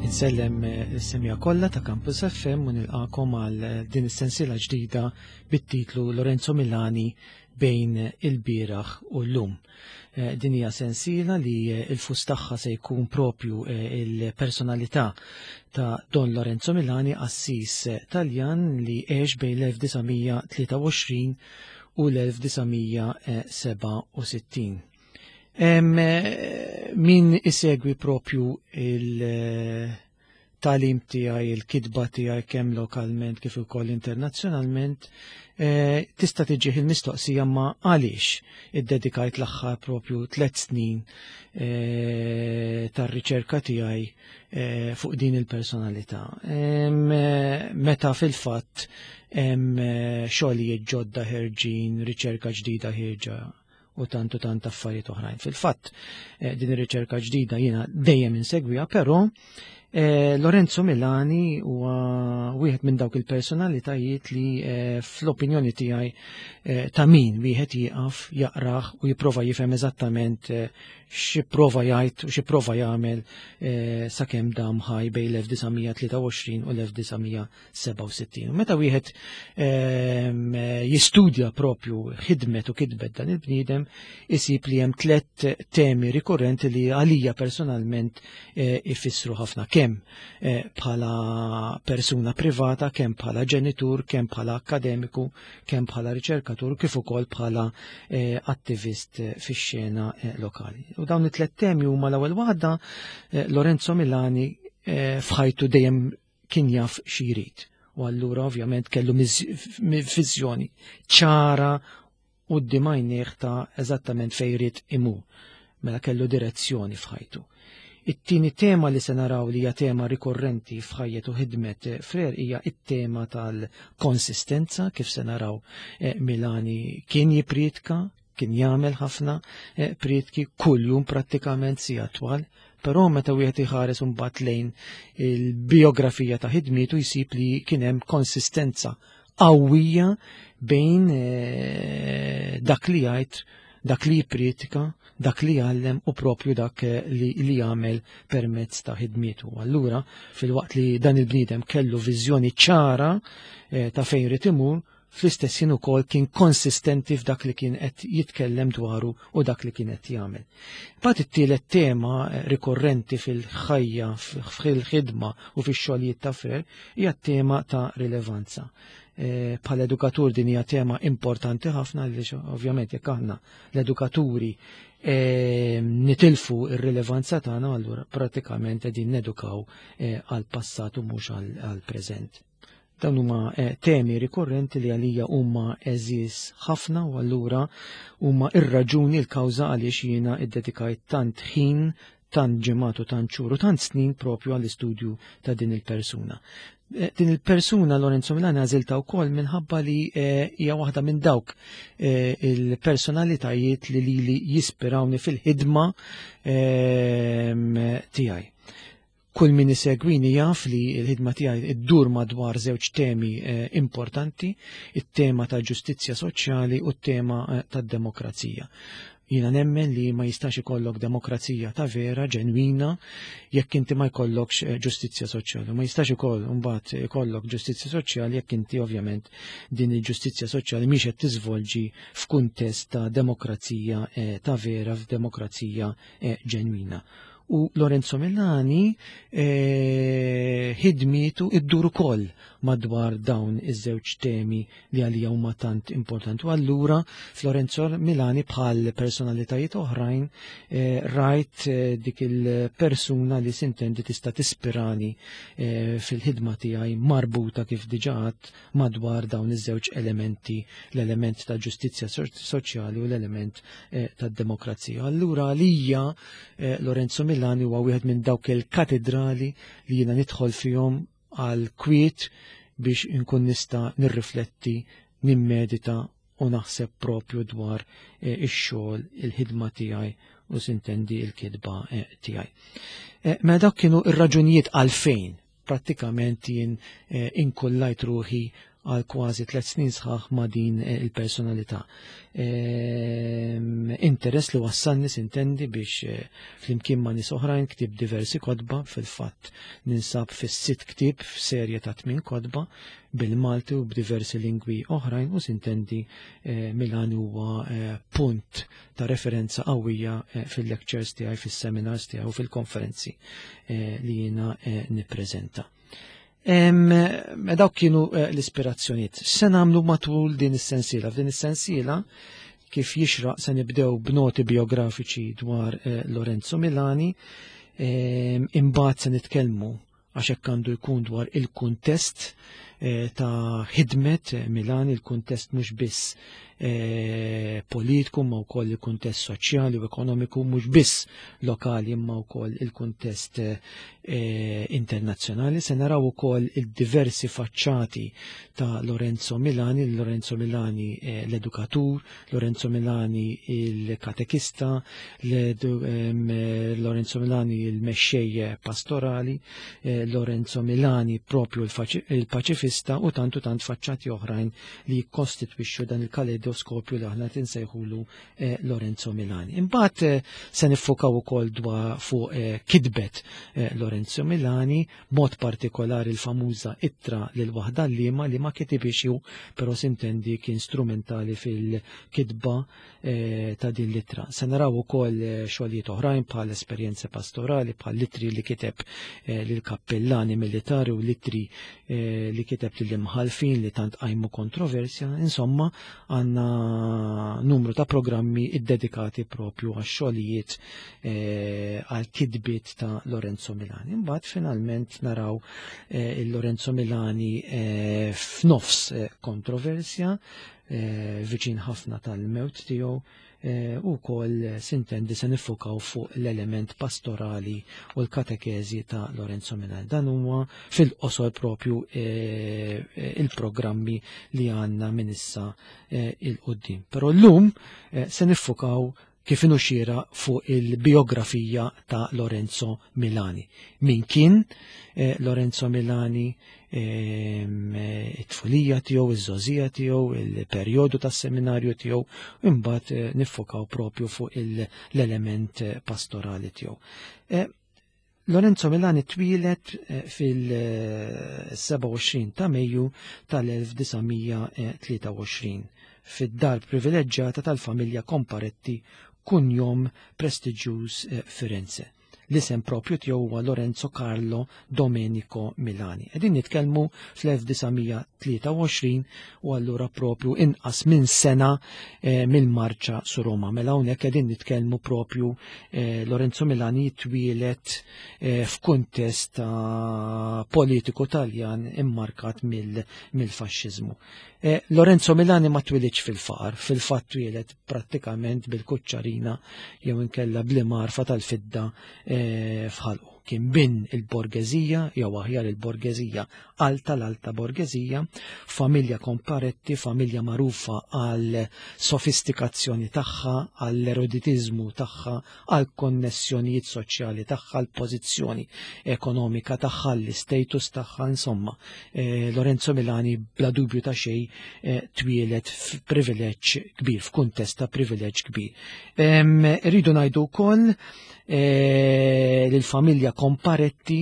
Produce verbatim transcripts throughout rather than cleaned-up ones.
Insellem is-semmiegħa kollha ta' Campus F M u nilqakom għal din is-sensiela ġdida bit-titlu "Lorenzo Milani bejn il-bieraħ u l-lum". Eh, din hija sensiela li il-fus tagħha se jkun propju eh, il-personalità ta' Don Lorenzo Milani, qassis Taljan li għex bejn l-elf disa' mija tlieta u għoxrin u l-elf disa' mija sebgħa u sittin. Min isegwi propju il-tagħlim tiegħi, il-kitba tiegħi, kemm lokalment kif ukoll internazzjonalment, eh, tista' tiġih il-mistoqsija ma għaliex iddedikajt l-aħħar propju tliet snin eh, tar-riċerka tiegħi eh, fuq din il-personalità. Meta fil-fatt hemm xogħlijiet ġodda ħerġin, riċerka ġdida ħierġa u tant u tant affarijiet oħrajn. Fil-fatt, din ir-riċerka ġdida jiena dejjem insegwiha, però eh, Lorenzo Milani huwa wieħed minn dawk il-personalitajiet li eh, fl-opinjoni tiegħi ta' min wieħed jieqaf jaqrah u jipprova jifhem eżattament x'ipprova jgħid u x'ipprova jagħmel sakemm dam ħaj bejn l-elf disa' mija tlieta u għoxrin u l-elf disa' mija sebgħa u sittin. U meta wieħed jistudja propju ħidmet u kitbet dan il-bniedem, isib li hemm tliet temi rikurrenti li għalija personalment ifissru ħafna, kemm bħala persuna privata, kemm bħala ġenitur, kemm bħala akademiku, kemm bħala riċerkatur, kif ukoll bħala attivist fix-xena lokali. U dawn it-tliet temi huma, l-ewwel waħda, Lorenzo Milani f'ħajtu dejjem kien jaf xi jrid. U allura ovvjament kellu viżjoni ċara u d ta' eżattament fejn irid imur. Mela kellu direzzjoni f'ħajtu. It-tieni tema li se naraw li hija tema rikorrenti f'ħajjet u ħidmet Frer hija it-tema tal-konsistenza. Kif se naraw, Milani kien jipritka, kien jagħmel ħafna prietki kuljum prattikament sigħat twal, però meta wieħed iħares imbagħad lejn il-biografija ta' ħidmietu jsib li kien hemm konsistenza qawwija bejn dak li jgħid, dak li jippriedka, dak li jgħallem u propju dak li, li jagħmel permezz ta' ħidmietu. Allura, filwaqt li dan il-bniedem kellu viżjoni ċara eh, ta' fejn irid imur, fl-istess ħin ukoll kien konsistenti f'dak li kien qed jitkellem dwaru u dak li kien qed jagħmel. Mbagħad it-tielet tema rikorrenti fil-ħajja, fil-ħidma u fix-xogħlijiet ta' Frer hija t-tema ta' rilevanza. Bħala edukatur din hija tema importanti ħafna, għaliex ovvjament jekk aħna l-edukaturi nitilfu ir-rilevanza tagħna, allura pratikament qegħdin nedukaw għal passat u mhux għal preżent. Dawn huma temi rikorrenti li għalija huma għeżież ħafna u allura huma ir-raġuni, l-kawża għaliex jiena iddedikajt tant ħin, tant ġimgħat u tant xhur u tant snin propju għall-istudju ta' din il-persuna. Din il-persuna Lorenzo Milani għażilta wkoll minħabba li hija waħda minn dawk il-personalitajiet li lili jispirawni fil-ħidma tiegħi. Kull min isegwini jaf li l-ħidma tiegħi iddur madwar żewġ temi importanti, it-tema ta' ġustizzja soċjali u t-tema tad-demokrazija. Jiena nemmen li ma jistax ikollok demokrazija ta' vera, ġenwina, jekk inti ma jkollokx ġustizzja soċjali. Ma jistax ikoll mbagħad ikollok ġustizzja soċjali jekk inti ovvjament din il-ġustizzja soċjali mhix qed tiżvolġi f'kuntest ta' demokrazija ta' vera, f'demokrazija ġenwina. U Lorenzo Milani ħidmietu iddur ukoll madwar dawn iż-żewġ temi li għalija huma tant importanti. U allura Lorenzo Milani, bħal personalitajiet oħrajn, rajt dik il-persuna li sintendi tista' tispirani fil-ħidma tiegħi marbuta, kif diġà għedt, madwar dawn iż-żewġ elementi, l-element ta' ġustizzja soċjali u l-element tad-demokrazija. Allura għalija Lorenzo Milani huwa wieħed minn dawk il-katedrali li jiena nidħol fihom għal kwiet biex inkun nista' nirrifletti, nimmedita u naħseb propju dwar ix-xogħol, il-ħidma tiegħi u sintendi il-kitba tiegħi. Mela dak kienu ir-raġunijiet għalfejn prattikament jien inkullajt ruħi għal kważi tliet snin sħaħ ma' din il-personalità. Interess li wassalni, sintendi, biex flimkien ma' nies oħrajn ktibt diversi kotba. Fil-fatt ninsab fis-sitt ktieb f'serje ta' tmien kotba bil-Malti u b'diversi lingwi oħrajn u, sintendi, Milani huwa punt ta' referenza qawwija fil-lectures tiegħi, fis-seminars tiegħi u fil-konferenzi li jiena nippreżenta. Dawk kienu l-ispirazzjonijiet. Se nagħmlu matul din is-sensiela? F'din is-sensiela, kif jixraq, se nibdew b'noti biografiċi dwar Lorenzo Milani, imbagħad se nitkellmu, għax hekk għandu jkun, dwar il-kuntest ta' ħidmet Milani, il-kuntest mhux biss politiku ma wkoll il-kuntest soċjali u ekonomiku, mhux biss lokali imma wkoll il-kuntest internazzjonali. Se naraw ukoll il-diversi faċċati ta' Lorenzo Milani, Lorenzo Milani l-edukatur, Lorenzo Milani il-katekista, Lorenzo Milani il-mexxej pastorali, Lorenzo Milani propju il-paċifista u tant u tant faċċati oħrajn li jikkostitwixxu dan il-kaleidoskopju li aħna tinsejħulu Lorenzo Milani. Imbagħad se niffokaw ukoll dwar fuq kitbet Lorenzo Milani, mod partikolari l-famuża ittra lil waħda liema li ma kitibix hu, però, sintendi, kien strumentali fil-kitba ta' din l-ittra. Se naraw ukoll xogħlijiet oħrajn bħal esperjenze pastorali, bħal ittri li kiteb lil kappellani militari u l-ittri li kiteb lil imħalfin li tant qajmu kontroversja. Insomma, għandna numru ta' programmi iddedikati propju għax xogħlijiet, għal kitbiet ta' Lorenzo Milani. Imbagħad finalment naraw il-Lorenzo Milani f'nofs kontroversja, viċin ħafna tal-mewt tiegħu, u wkoll, sintendi, se niffukaw fuq l-element pastorali u l-katekezi ta' Lorenzo Milani. Dan huwa fil-qosor propju il-programmi li għandna minn issa 'il quddiem. Però llum se niffukaw, kif inhu xieraq, fuq il-biografija ta' Lorenzo Milani. Min kien Lorenzo Milani, it-tfulija tiegħu, iż-żgħożija tiegħu, il-perjodu tas-seminarju tiegħu, imbagħad niffokaw propju fuq l-element pastorali tiegħu. Lorenzo Milani twieled fil-sebgħa u għoxrin ta' Mejju tal-elf disa' mija tlieta u għoxrin fid-dar privileġġjata tal-familja Comparetti, kunjom prestiġjuż Firenze. L-isem propju tiegħu huwa Lorenzo Carlo Domenico Milani. Qegħdin nitkellmu fl-elf disa' mija tlieta u għoxrin u allura propju inqas minn sena eh, mill-marċa su Roma. Mela hawnhekk qegħdin nitkellmu propju eh, Lorenzo Milani jitwielet eh, f'kuntest ta' politiku Taljan immarkat mill-faxxiżmu. Eh, Lorenzo Milani ma twilidx fil-faqar, fil-fatt twieled prattikament bil-kuċċarina jew inkella bl-imgħarfa tal-fidda eh, f'ħalqu. Kien bin il-borgezija, jew aħjar il-borgezija alta, l-alta borgezija, familja Comparetti, familja magħrufa għal sofistikazzjoni tagħha, għall eruditizmu tagħha, għal konnessjonijiet soċjali tagħha, għal pożizzjoni ekonomika tagħha, l-status tagħha, insomma. Eh, Lorenzo Milani bla dubju ta' xejn eh, twieled f'privileġġ kbir, f'kuntest ta' privileġġ kbir. Rridu ngħidu wkoll eh, l-familja Comparetti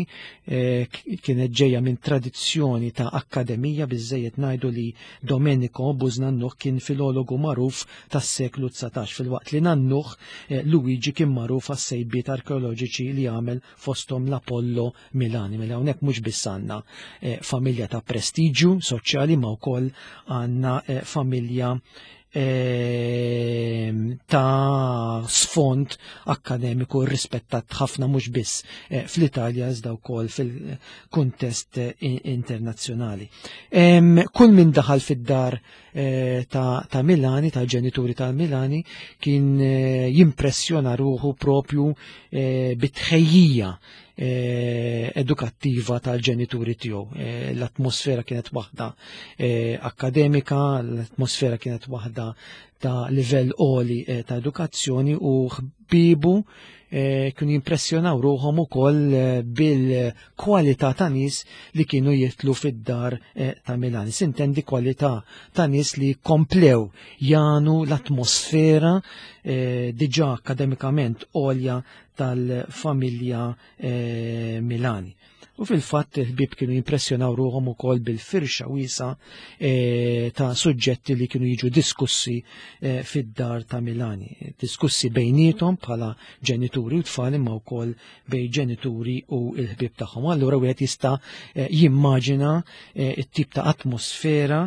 eh, kienet ġejja minn tradizzjoni ta' akkademija. Biżejjed ngħidu li Domenico bużnannuh kien filologu magħruf tas-seklu dsatax, filwaqt li nannuh eh, Luigi kien magħruf għas-sejbiet arkeoloġiċi li għamel, fosthom l-Apollo Milani. Mela hawnhekk mhux biss għandna familja ta' prestiġju soċjali ma wkoll għandna familja Ehm, ta' sfond akademiku rispettat ħafna, mhux biss eh, fl-Italja iżda wkoll fil-kuntest eh, internazzjonali. Ehm, kull min daħal fid-dar eh, ta', ta Milani, ta' ġenituri ta' Milani, kien jimpressjona ruħu propju bit-tħejjija edukattiva tal-ġenituri tiegħu. L-atmosfera kienet waħda akademika, l-atmosfera kienet waħda ta' livell għoli eh, ta' edukazzjoni, u ħbibu eh, kienu jimpressjonaw ruħhom ukoll eh, bil-kwalità ta' nies li kienu jitlu fid-dar eh, ta' Milani. Sintendi kwalità ta' nies li komplew janu l-atmosfera eh, diġà akademikament għolja tal-familja eh, Milani. U fil-fatt il-ħbieb kienu jimpressjonaw ruħhom ukoll bil-firxa wiesa eh, ta' suġġetti li kienu jiġu diskussi eh, fid-dar ta' Milani. Diskussi bejnietom bħala ġenituri u tfal, imma wkoll bejn ġenituri u l-ħbieb tagħhom. Allura wieħed jista' eh, jimmaġina eh, it-tip ta' atmosfera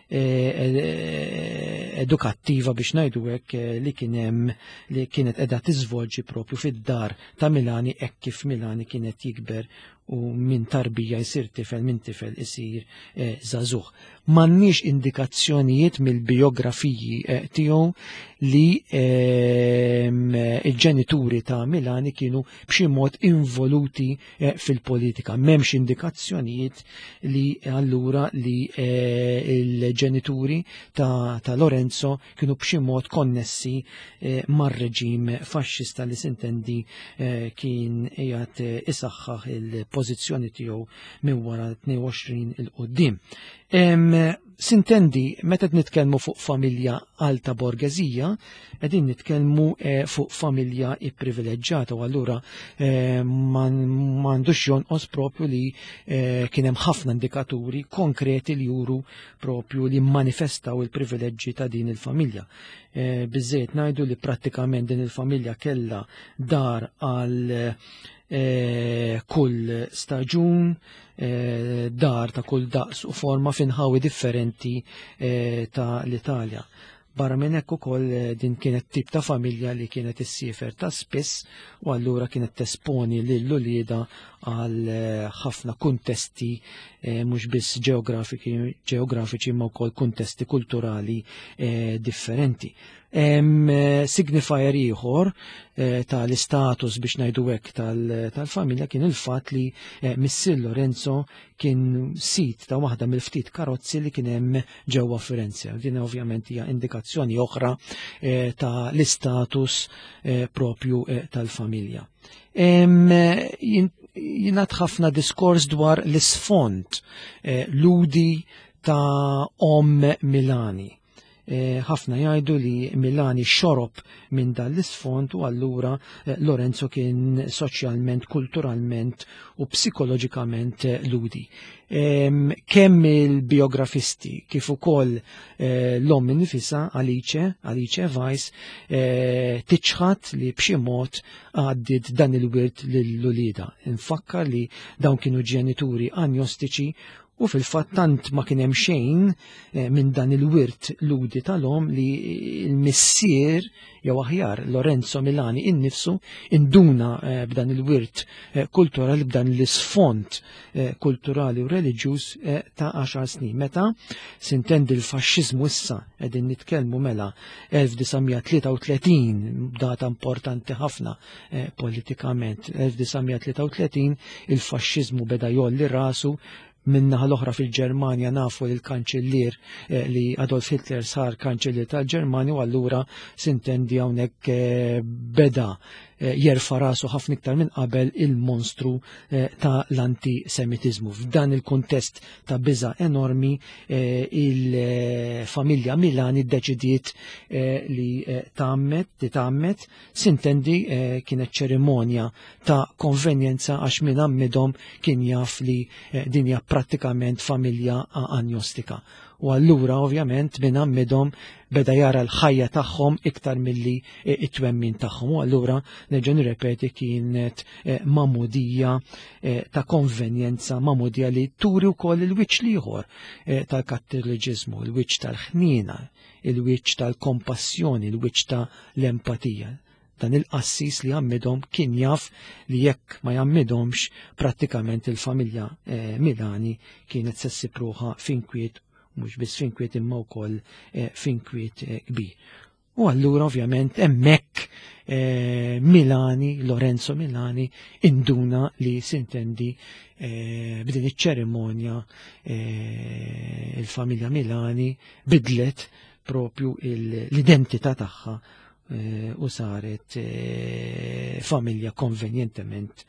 eh, eh, edukattiva, biex ngħidu hekk, eh, li kien hemm, li kienet qiegħda tiżvolġi propju fid-dar ta' Milani hekk kif Milani kienet jikber u minn tarbija jsir tifel, minn tifel isir eh, żagħżugħ. M'għandniex indikazzjonijiet mill-biografiji eh, tiegħu li ehm, il-ġenituri ta' Milani kienu b'xi mod involuti eh, fil-politika. M'hemmx indikazzjonijiet li allura li eh, il-ġenituri ta', ta Lorenzo kienu b'xi mod konnessi eh, mar-reġim faxxista li sintendi eh, kien qiegħed eh, isaħħaħ il-pożizzjoni tiegħu minn wara tnejn u għoxrin 'il quddiem. Em, Sintendi, meta nitkellmu fuq familja alta borgezija, qegħdin nitkellmu eh, fuq familja ipprivileġġjata, u allura eh, m'għandux jonqos propju li eh, kien hemm ħafna indikaturi konkreti li juru propju li manifestaw il-privileġġi ta' din il-familja. Eh, Biżżejjed ngħidu li prattikament din il-familja kella dar għal eh, kull staġun, eh, dar ta' kull daqs u forma f'inħawi differenti eh, ta' l-Italja. Barra minn hekk ukoll eh, din kienet tip ta' familja li kienet issiefer ta' spiss, u allura kienet tesponi lil uliedha għal eh, ħafna kuntesti eh, mhux biss ġeografiċi ma wkoll kuntesti kulturali eh, differenti. Hemm eh, signifier ieħor eh, tal-istatus, biex ngħidu hekk, tal-familja kien il-fatt li eh, missier Lorenzo kien sid ta' waħda mill-ftit karozzi li kien hemm ġewwa Firenze. Din ovvjament hija indikazzjoni oħra eh, ta' l-istatus eh, propju eh, tal-familja. Em, jien- Jingħad ħafna diskors dwar l-isfond eh, ludi ta' om Milani. Eh, ħafna jgħidu li Milani xorob minn dan l-isfond u allura eh, Lorenzo kien soċjalment, kulturalment u psikoloġikament eh, ludi. Em, Kemm il-biografisti kif ukoll eh, l-omm nifisha, Alice, Alice Weiss, eh, tiċħat li b'xi mod għaddit dan il-wirt lil-uliedha. Infakkar li dawn kienu ġenituri agnostiċi, u fil-fatt tant ma kien hemm xejn eh, minn dan il-wirt ludi tal-omm li l-missier, jew aħjar Lorenzo Milani innifsu, induna eh, b'dan il-wirt eh, kulturali, b'dan l-isfond eh, kulturali u reliġjuż eh, ta' għaxar snin. Meta sintendi l-faxxiżmu, issa qegħdin nitkellmu mela elf disa' mija tlieta u tletin, data importanti ħafna eh, politikament, elf disa' mija tlieta u tletin il-faxxiżmu beda jgħolli rasu. Min-naħa l-oħra fil-Ġermanja nafu li l-kanċellier eh, li Adolf Hitler sar kanċellier tal-Ġermanja, u allura sintendi hawnhekk eh, beda eh, jerfa rasu ħafna iktar minn qabel il-monstru eh, ta' l-antisemitizmu. F'dan il-kuntest ta' biża enormi, eh, il-familja Milani ddeċidiet eh, li eh, tgħammed, titgħammed. Sintendi eh, kienet ċerimonja ta' konvenjenza għax min għammidhom kien jaf li eh, din hija prattikament familja agnostika. U allura ovvjament min għammidhom beda jara l-ħajja tagħhom iktar milli eh, it-twemmin tagħhom. U allura nerġa' nirrepeti, kienet eh, magħmudija eh, ta' konvenjenza, magħmudija li turi wkoll il-wiċċ l-ieħor eh, tal-kattoliċiżmu, il-wiċċ tal-ħniena, il-wiċċ tal-kompassjoni, il-wiċċ tal-empatija. Dan il-qassis li għammidhom kien jaf li jekk ma jgħammidhomx, prattikament il-familja eh, Milani kienet se ssib ruħha f'inkwiet, mhux biss f'inkwiet imma wkoll eh, f'inkwiet eh, kbir. U allura ovvjament hemmhekk eh, Milani, Lorenzo Milani, induna li sintendi eh, b'din iċ-ċerimonja eh, il-familja Milani bidlet propju l-identità tagħha u saret familja konvenjentement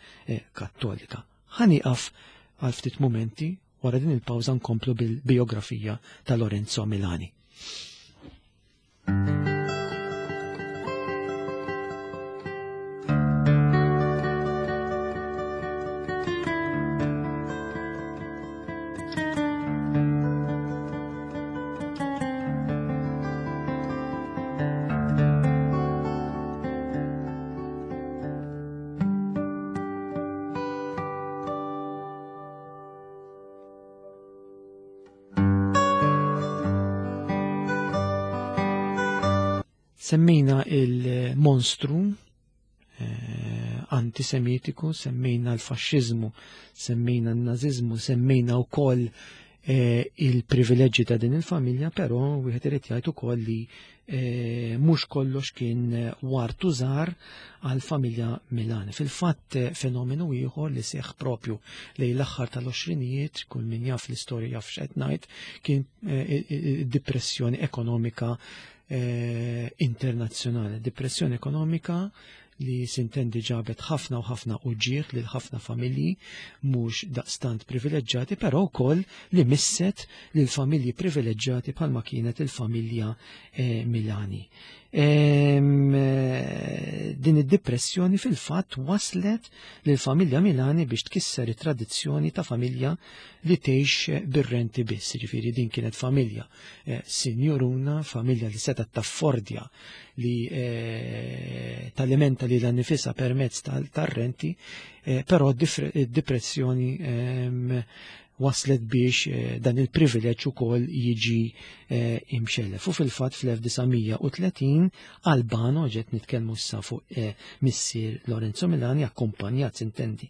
kattolika. Ħa nieqaf għal ftit momenti, wara din il-pawża nkomplu bil-biografija ta' Lorenzo Milani. Semmejna il-monstru eh, antisemitiku, semmejna l-faxxiżmu, semmejna n-naziżmu, semmejna wkoll eh, il-privileġġi ta' din il-familja, però wieħed irid jgħid ukoll li eh, mhux kollox kien wartu żgħar għall-familja Milani. Fil-fatt fenomenu ieħor li seħħ propju lejn l-aħħar tal-għoxrinijiet, kull min jaf l-istorja jaf x'qed ngħid, kien id-depressjoni ekonomika Eh, internazzjonali. Depressjoni ekonomika li sintendi ġabet ħafna u ħafna uġieħ lil ħafna familji mhux daqstant privileġġjati, però wkoll li misset lil familji privileġġjati bħalma kienet il-familja eh, Milani. Ehm, din id-depressjoni fil-fatt waslet lil familja Milani biex tkisser it-tradizzjoni ta' familja li tgħix bir-renti biss. Ġifieri din kienet familja eh, sinjuruna, familja li setgħet taffordja li eh, talimenta lilha nnifisha permezz tar-renti, eh, però d-depressjoni ehm, waslet biex dan il-privileġġ ukoll jiġi imxellef. U fil-fatt fl-elf disa' mija u tletin Albano, ġet nitkellmu issa fuq missier Lorenzo Milani, akkumpanjat sintendi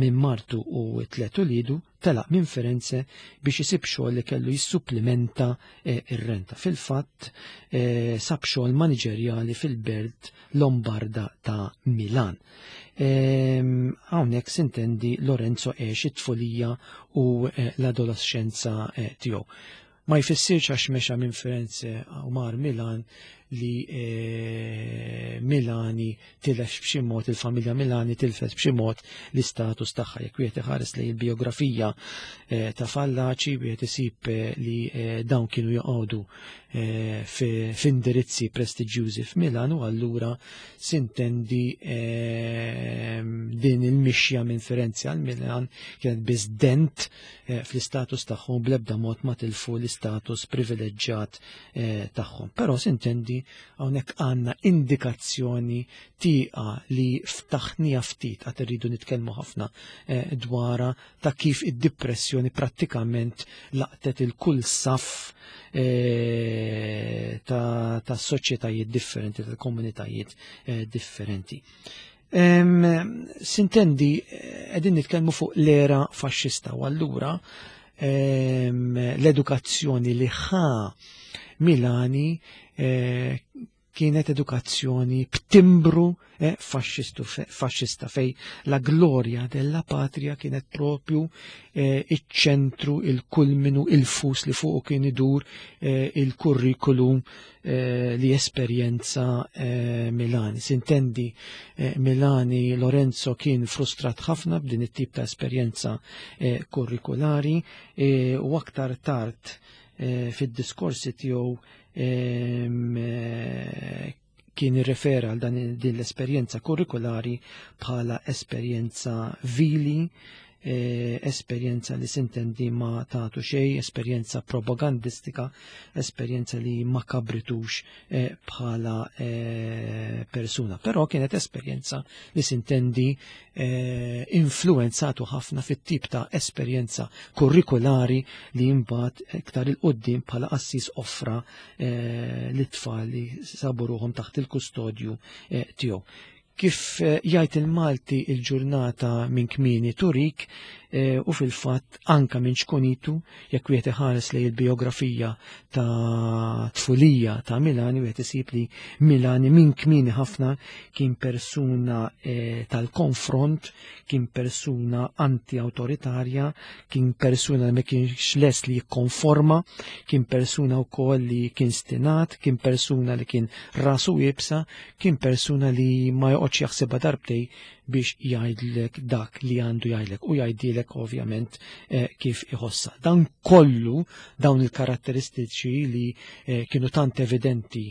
minn martu u tliet ulidu, telaq minn Firenze biex isib xogħol li kellu jissupplimenta ir-renta. Fil-fatt sab xogħol maniġerjali fil-belt Lombarda ta' Milan. Hawnhekk sintendi Lorenzo għex it-tfulija u l-adolescenza tiegħu. Ma jfissirx għax mexa minn Firenze u mar Milan li Milani tilef b'xi mod, il-familja Milani tilfet b'xi mod l-istatus tagħha. Jekk wieħed iħares lejn il-biografija ta' Fallaci, wieħed isib li dawn kienu joqogħdu f'indirizzi prestiġjużi f'Milan, u allura sintendi din il-mixja minn Firenze għal Milan kienet biss dent fl-istatus tagħhom, bl-ebda mod ma tilfu l-istatus privileġġjat tagħhom. Però sintendi hawnhekk għandna indikazzjoni tieqa li ftaħnija ftit, għad irridu nitkellmu ħafna dwarha, ta' kif id-depressjoni prattikament laqtet il-kull saff ta' ta' soċjetajiet differenti, ta' komunitajiet differenti. Sintendi qegħdin nitkellmu fuq l-era faxxista, u allura l-edukazzjoni li ħa Milani kienet edukazzjoni b'timbru eh, faxxistu, faxxista, fej la gloria della patria kienet propju eh, iċ-ċentru, il-kulminu, il-fus li fuqu kien idur eh, il-kurrikulum eh, li esperjenza eh, Milani. Sintendi eh, Milani Lorenzo kien frustrat ħafna b'din it-tip ta' esperjenza eh, kurrikulari, eh, u aktar tard eh, fid-diskorsi tiegħu kien irrefera għal dan din l-esperjenza kurrikulari bħala esperjenza vili, esperjenza li sintendi ma tagħtu xejn, esperjenza propagandistika, esperjenza li ma kabritux bħala persuna. Però kienet esperjenza li sintendi influenzatu ħafna fit-tip ta' esperjenza kurrikulari li mbagħad iktar il-qoddim bħala qassis offra lit-tfal li sabu ruħhom taħt il-kustodju tiegħu. Kif jgħid il-Malti il-ġurnata minn kmieni turik, U fil-fatt anka minn ċkunitu, jekk wieħed iħares lejn il-biografija ta' tfulija ta' Milani, wieħed isib li Milani minn kmieni ħafna kien persuna tal-konfront, kien persuna anti-autoritarja, kien persuna li ma kienx lest li jikkonforma, kien persuna wkoll li kien stinat, kien persuna li kien rasu iebsa, kien persuna li ma joqgħodx jaħsibha darbtej biex jgħidlek dak li għandu jgħidlek u jgħidilek ovvjament kif iħossa. Dan kollu, dawn il-karatteristiċi li kienu tant evidenti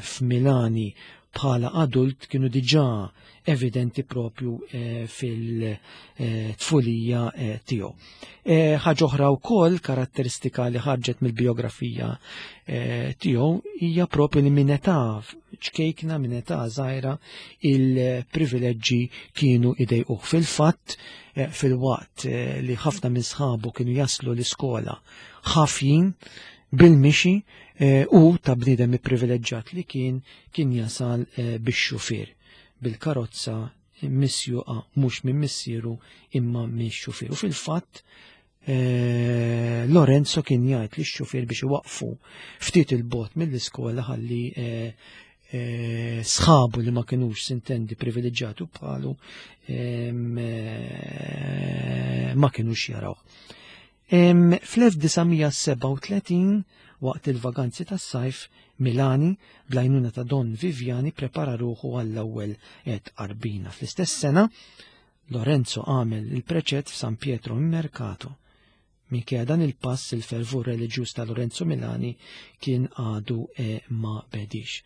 f'Milani bħala adult kienu diġà evidenti propju fil-tfulija tiegħu. Ħaġa oħra wkoll karatteristika li ħarġet mill-biografija tiegħu hija propju li minn età ċkejkna, minn età żgħira, il-privileġġi kienu idejquh. Fil-fatt, fil-waqt li ħafna minn sħabu kienu jaslu l-iskola ħafjin bil-mixi, u ta' bniedem ipprivileġġjat li kien kien jasal bix-xufier, bil-karozza misjuqa mhux minn missieru imma minn xufier. U fil-fatt Lorenzo kien jgħid li x-xufier biex iwaqfu ftit il-bot mill-iskola ħalli sħabu li ma kinux sintendi privileġġjati bħalu ma kinux jaraw. fl-elf disa' mija sebgħa u tletin, waqt il-vaganzi tas-sajf, Milani, bl-għajnuna ta' Don Viviani, prepara ruħu għall-ewwel tqarbina. Fl-istess sena, Lorenzo għamel il-preċett f'San Pietro in Mercato. Minkejja dan il-pass, il-fervur reliġjuż ta' Lorenzo Milani kien għadu ma bedix.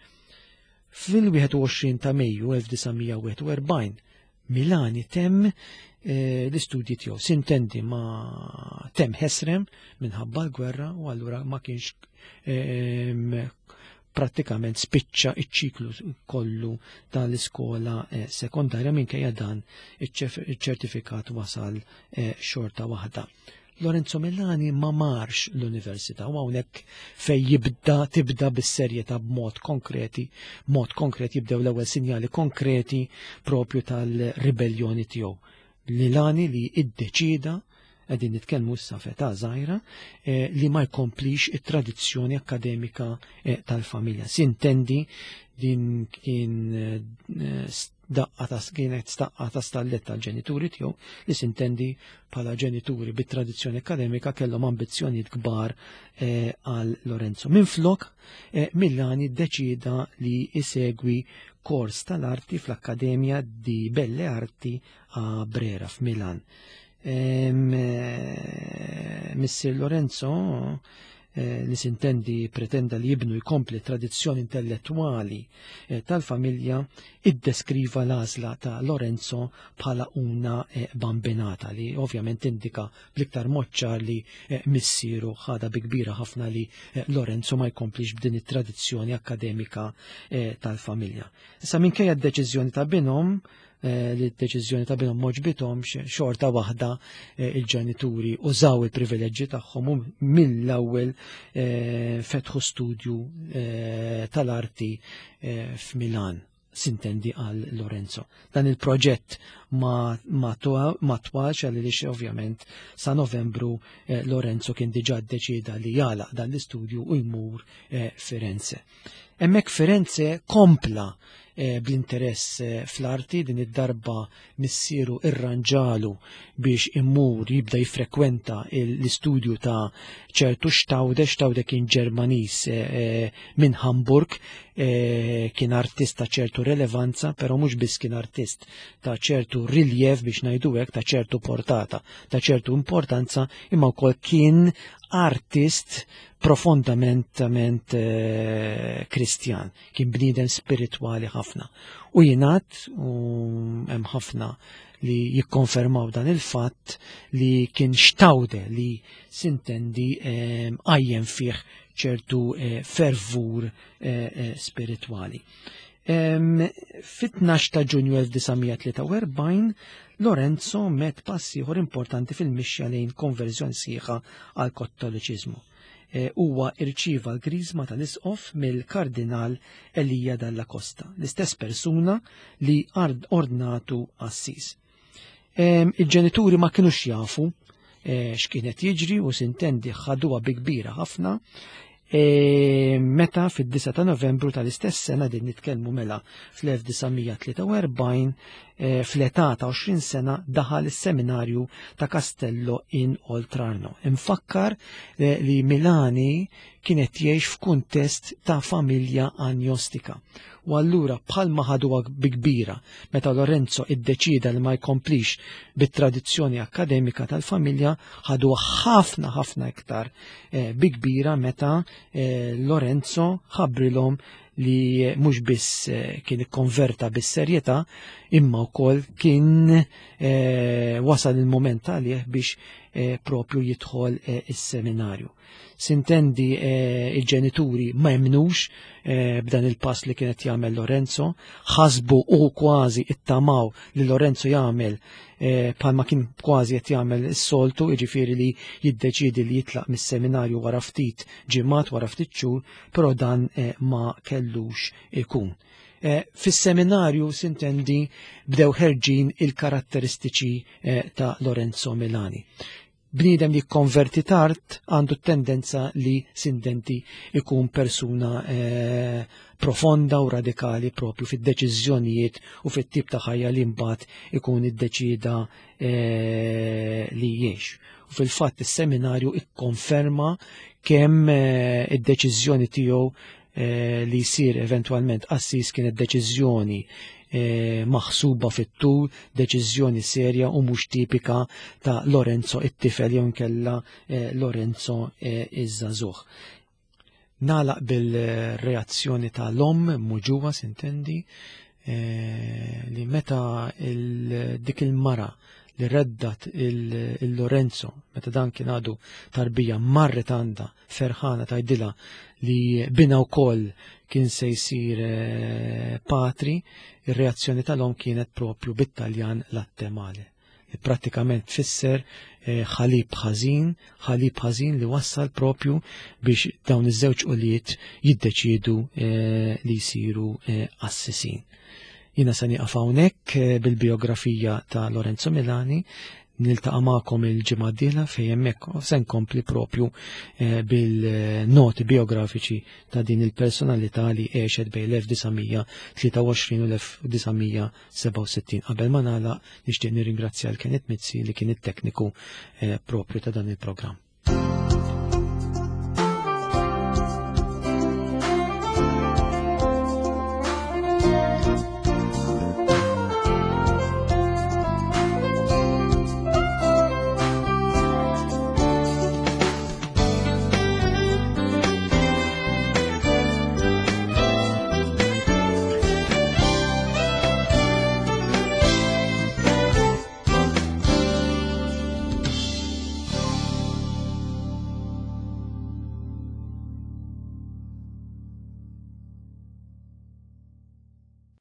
Fil-wieħed u għoxrin ta' Mejju elf disa' mija wieħed u erbgħin, Milani temm l-istudji tiegħu. Sintendi ma temm ħesrem minħabba l-gwerra u allura ma kienx prattikament spiċċa iċ-ċiklu kollu tal-iskola sekondarja, minkejja dan iċ-ċertifikat wasal xorta waħda. Lorenzo Milani ma marx l-università u hawnhekk fej jibda tibda bis-serjetà b'mod konkreti, mod konkret jibdew l-ewwel sinjali konkreti propju tal-ribelljoni tiegħu. Milani li iddeċida, qegħdin nitkellmu issa f'età żgħira, li ma jkomplix it-tradizzjoni akademika tal-familja. Sintendi din kien daqqa ta' kienet staqqa ta' stallet tal-ġenituri tiegħu, li sintendi bħala ġenituri bit-tradizzjoni akademika kellhom ambizzjonijiet kbar għal Lorenzo. Minflok, Milani ddeċida li isegwi kors tal-arti fl-Akkademja di Belle Arti a Brera f'Milan. Missier Lorenzo, li sintendi pretenda li jibnu jkompli tradizzjoni intellettuali tal-familja, iddeskriva l-għażla ta' Lorenzo bħala una bambinata, li ovvjament indika bl-iktar mod ċar li missieru ħadha bi kbira ħafna li Lorenzo ma jkomplix b'din it-tradizzjoni akademika tal-familja. Issa minkejja d-deċiżjoni ta' binhom, li d-deċiżjoni ta' binhom m'għoġbithomx, xorta waħda il-ġenituri użaw il-privileġġi tagħhom u mill-ewwel fetħu studju tal-arti f'Milan, sintendi għal Lorenzo. Dan il-proġett ma, ma ma twalx għaliex ovvjament sa Novembru Lorenzo kien diġà ddeċieda li jagħlaq dan l-istudju u jmur Firenze. Hemmhekk Firenze kompla bl-interess fl-arti, din id-darba missieru irranġalu biex immur jibda jiffrekwenta l-istudju ta' ċertu Staude. Staude kien Ġermaniż minn Hamburg, kien artist ta' ċertu relevanza, però mhux biss kien artist ta' ċertu riljev biex ngħidu hekk, ta' ċertu portata, ta' ċertu importanza, imma wkoll kien artist profondament kristjan, kien bniedem spiritwali ħafna. U jingħad, u hemm ħafna li jikkonfermaw dan il-fatt, li kien Staude li sintendi qajjem fih ċertu fervur spiritwali. Fit-tnax ta' Ġunju elf disa' mija tlieta u erbgħin, Lorenzo met pass ieħor importanti fil-mixja lejn konverżjoni sħiħa għal kattoliċiżmu. Huwa irċieva l-griżma tal-isqof mill-Kardinal Elia Dalla Costa, l-istess persuna li ordnatu assis. Il-ġenituri ma kinux jafu x'kienet jiġri u sintendi ħaduha bi kbira ħafna. E, meta fid-disgħa ta' Novembru tal-istess sena, din nitkellmu mela fl-elf disa' mija tlieta u erbgħin, e, fl-età ta' għoxrin sena daħal is-seminarju ta' Castello in Oltrarno. Infakkar, e, li Milani kienet jgħix f'kuntest ta' familja agnostika. U allura bħalma ħaduha bi kbira meta Lorenzo iddeċida li ma jkomplix bit-tradizzjoni akkademika tal-familja, ħaduha ħafna ħafna iktar, eh, bi kbira meta, eh, Lorenzo ħabbrilhom li mhux biss, eh, kien ikkonverta bis-serjetà, imma wkoll kien, eh, wasal il-moment għalih biex, eh, propju jidħol, eh, is-seminarju. Sintendi, eh, il-ġenituri ma jemnux, eh, b'dan il-pass li kienet jagħmel Lorenzo, ħasbu u kważi ittamaw li Lorenzo jagħmel, eh, bħalma kien kważi qed jagħmel is-soltu, jiġifieri li jiddeċiedi li jitlaq mis-seminarju wara ftit ġimgħat, wara ftit xhur, però dan, eh, ma kellux ikun. Eh, fis-seminarju sintendi bdew ħerġin il-karatteristiċi, eh, ta' Lorenzo Milani. Bniedem li konverti tard għandu tendenza li sindenti ikun persuna, eh, profonda u radikali propju fid-deċiżjonijiet u fit-tip ta' ħajja li mbagħad ikun iddeċida, eh, li jgħix. U fil-fatt is-seminarju ikkonferma kemm, eh, id-deċiżjoni tiegħu, eh, li jsir eventwalment qassis kienet deċiżjoni, eh, maħsuba fit-tul, deċiżjoni serja u mhux tipika ta' Lorenzo it-tifel jew inkella, eh, Lorenzo, eh, iż-żagħżugħ. Nagħlaq bil-reazzjoni ta' l-omm muġuwa sintendi, eh, li meta il-, dik il-mara li reddat il-, il-Lorenzo, meta dan kien għadu tarbija, marret għandha ferħana tgħidilha li bina wkoll kien se jsir, eh, patri, ir-reazzjoni tal-omm kienet propju bit-Taljan latte male, li prattikament tfisser, eh, ħalib ħażin, ħalib ħażin li wassal propju biex dawn iż-żewġ ulied jiddeċiedu, eh, li jsiru, eh, qassisin. Jiena se nieqaf hawnhekk, eh, bil-biografija ta' Lorenzo Milani, niltaqa' magħkom il-ġimgħa d-dieħla fejn hemmhekk se nkompli propju, eh, bil-noti biografiċi ta' din il-personalità li għexet bejn l-elf disa' mija tlieta u għoxrin u l-elf disa' mija sebgħa u sittin. Qabel ma nagħlaq nixtieq nirringrazzja l Kenneth Mizzi li kien it-tekniku, eh, propju ta' dan il-programm.